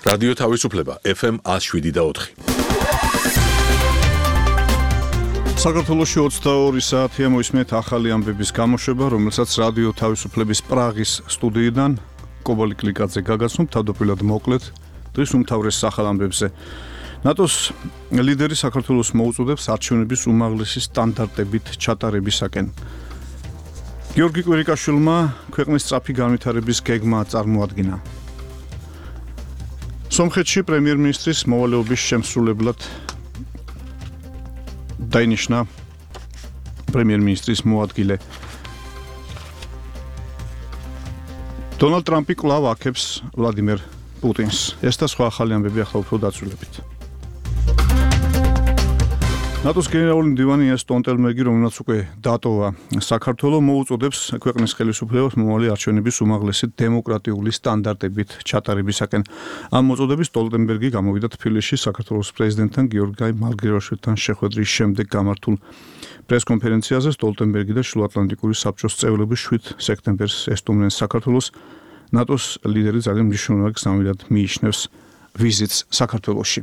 რადიო თავისუფლება FM 107.4. საქართველოში 22 საათია მოისმენთ ახალი ამბების გამოშვება, რომელსაც რადიო თავისუფლების პრაღის სტუდიიდან კობალი კლიკაძე გაგაცნობ, თავდაპირველად მოკლედ დღის უმთავრეს ახალ ამბებზე. ნატოს ლიდერი საქართველოს მოუწოდებს არჩევნების უმაღლესი სტანდარტებით ჩატარებისაკენ. გიორგი კვირიკაშვილმა ქვეყნის სწრაფი განვითარების გეგმა წარმოადგინა. სომხეთში პრემიერ-მინისტრის მოვალეობის შემსრულებლად დაინიშნა პრემიერ-მინისტრის მოადგილე. დონალდ ტრამპი კვლავ აქებს ვლადიმერ პუტინს. ეს და სხვა ახალი ამბები ახლა უფრო დაწვრილებით. ნატოს გენერალური მდივანი იენს სტოლტენბერგი, რომელმაც უკვე დატოვა საქართველოს, მოუწოდებს ქვეყნის ხელისუფლებას მომავალი არჩევნების უმაღლესი დემოკრატიული სტანდარტებით ჩატარებისაკენ. ამ მოწოდების სტოლტენბერგი გამოვიდა თბილისში საქართველოს პრეზიდენტთან გიორგი მარგველაშვილთან შეხვედრის შემდეგ გამართულ პრესკონფერენციაზე. სტოლტენბერგი და შუაატლანტიკური საბჭოს წევრები 7 სექტემბერს ესტუმრნენ საქართველოს. ნატოს ლიდერი ძალიან მნიშვნელოვან გზავნილად მიიჩნევს ვიზიტს საქართველოში.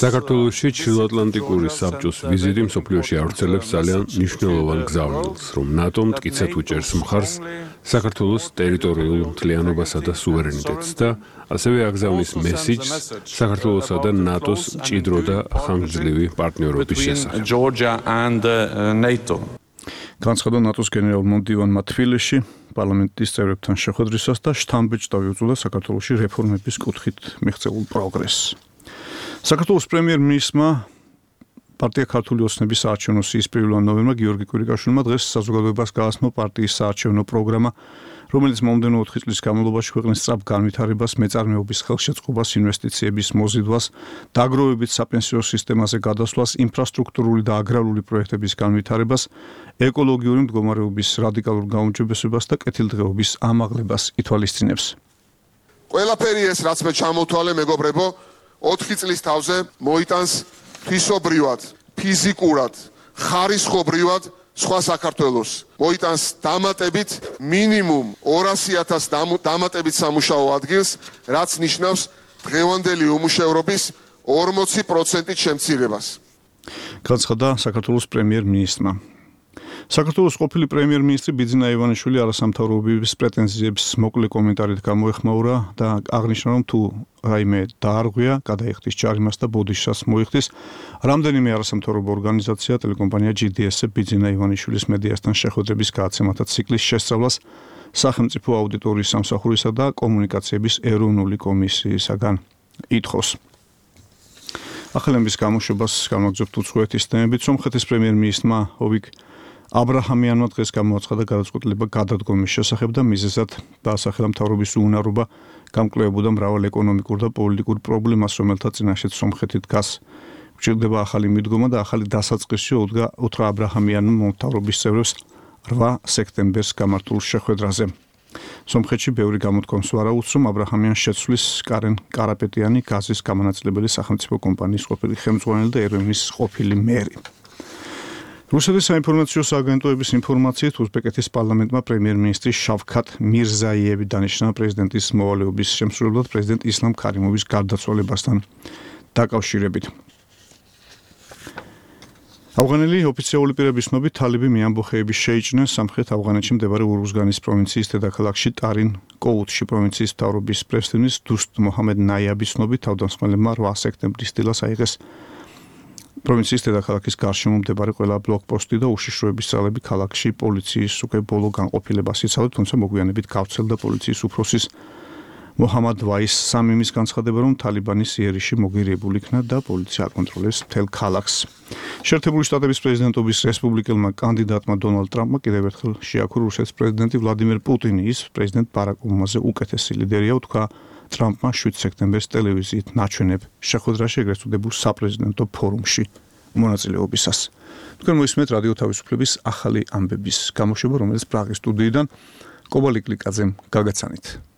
საქართველოში ჩრდილოატლანტიკური საბჭოს ვიზიტი მსოფლიოში ავრცელებს ძალიან მნიშვნელოვან გზავნილს, რომ ნატო მტკიცედ უჭერს მხარს საქართველოს ტერიტორიულ მთლიანობასა და სუვერენიტეტს და ასევე აგზავნის მესიჯს საქართველოსა და ნატოს მჭიდრო და ხანგრძლივი პარტნიორობის შესახებ. განცხადა ნატოს გენერალურმა მდივანმა თბილისში პარლამენტის წევრებთან შეხვედრისას და შთამბეჭდავი უწოდა საქართველოში რეფორმების კუთხით მიღწეულ პროგრესს. საქართველოს პრემიერ-მინისტრმა პარტია ქართული ოცნების საარჩევნო სიის 1 ნოემბრმა გიორგი კვირიკაშვილმა დღეს საზოგადოებას გააცნო პარტიის საარჩევნო პროგრამა, რომელიც მომდევნო 4 წლის განმავლობაში ქვეყნის სწრაფ განვითარებას, მეწარმეობის ხელშეწყობას, ინვესტიციების მოზიდვას, დაგროვებით საპენსიო სისტემაზე გადასვლას, ინფრასტრუქტურული და აგრარული პროექტების განვითარებას, ეკოლოგიური მდგომარეობის რადიკალურ გაუმჯობესებას და კეთილდღეობის ამაღლებას ითვალისწინებს. ყველაფერი ეს, რაც მე ჩამოთვალე, მეგობრებო, 4 წლის თავზე მოიტანს თვისობრივად, ფიზიკურად, ხარისხობრივად სხვა საქართველოს. მოიტანს დამატებით მინიმუმ 200,000 დამატებით სამუშაო ადგილს, რაც ნიშნავს დღევანდელი უმუშევრობის 40%-ით შემცირებას. განცხადა საქართველოს პრემიერ-მინისტრმა. საქართველოს ყოფილი პრემიერ-მინისტრი ბიძინა ივანიშვილი არასამთავრობოების პრეტენზიებს მოკლე კომენტარით გამოეხმაურა და აღნიშნა, რომ თუ რაიმე დაარღვია, გადაიხდის ჯარიმას და ბოდიშას მოიხდის. რამდენიმე არასამთავრობო ორგანიზაცია, ტელეკომპანია GDS ბიძინა ივანიშვილის მედიასთან შეხვედრების გადაცემათა ციკლის შესწავლას სახელმწიფო აუდიტორიის სამსახურისა და კომუნიკაციების ეროვნული კომისიისაგან ითხოვს. ახალების გამოშვებას გამაგზავნებთ უცხოეთის თემებით. სომხეთის პრემიერ-მინისტრმა ოვიგ აბრაჰამიანმა დღეს გამოაცხადა გადაწყვეტილება გადადგომის შესახებ და მიზეზად დაასახელა მთავრობის უუნარობა გამკვლევებოდა მრავალ ეკონომიკურ და პოლიტიკურ პრობლემას, რომელთა წინაშეც სომხეთი დგას. გვჭირდება ახალი მიდგომა და ახალი დასაწყისი, უთხრა აბრაჰამიანმა მთავრობის წევრებს 8 სექტემბერს გამართულ შეხვედრაზე. სომხეთში ბევრი გამოთქვამს ვარაუდს, რომ აბრაჰამიანს შეცვლის კარენ კარაპეტიანი, გაზის გამანაწილებელი სახელმწიფო კომპანიის ყოფილი ხელმძღვანელი და ერევნის ყოფილი მერი. რუსეთის საინფორმაციო სააგენტოების ინფორმაციით უზბეკეთის პარლამენტმა პრემიერ-მინისტრი შავქათ მირზაიევი დანიშნა პრეზიდენტის მოვალეობის შემსრულებლად პრეზიდენტ ისლამ ქარიმოვის გარდაცვალებასთან დაკავშირებით. ავღანელი ოფიციალური პირების ცნობით თალიბი მეამბოხეების შეიჭნენ სამხრეთ ავღანეთში მდებარე ურუზგანის პროვინციის დედაქალაქში ტარინ კოუთში. პროვინციის მთავრობის პრეზიდენტის დუსტ მოჰამედ ნაიაბის ცნობით თავდამსხმელებმა 8 სექტემბრის დილას აიღეს პროვინციის დედაქალაქის გარშემო მდებარე ყველა ბლოკპოსტი და უშიშროების ძალები ქალაქში პოლიციის უკვე ბოლო განყოფილებას იცავდა, თუმცა მოგვიანებით გავრცელდა პოლიციის უფროსის მოჰამად ვაის სამიმის განცხადება, რომ თალიბანის იერიში მოგირებული იქნა და პოლიცია აკონტროლებს მთელ ქალაქს. შეერთებული შტატების პრეზიდენტობის რესპუბლიკელმა კანდიდატმა დონალდ ტრამპმა კიდევ ერთხელ შეაქურო რუსეთის პრეზიდენტი ვლადიმერ პუტინი, ის პრეზიდენტ ბარაკ ობამაზე უკეთესი ლიდერია, უთქვა ტრამპმა 7 სექტემბერს ტელევიზიით ნაჩვენებ შეხვედრაში ეგრეთ წოდებულ საპრეზიდენტო ფორუმში მონაწილეობისას. თქვენ მოისმენთ რადიო თავისუფლების ახალი ამბების გამოშვება, რომელიც პრაღის სტუდიიდან კობალი კლიკაძემ გაგაცანით.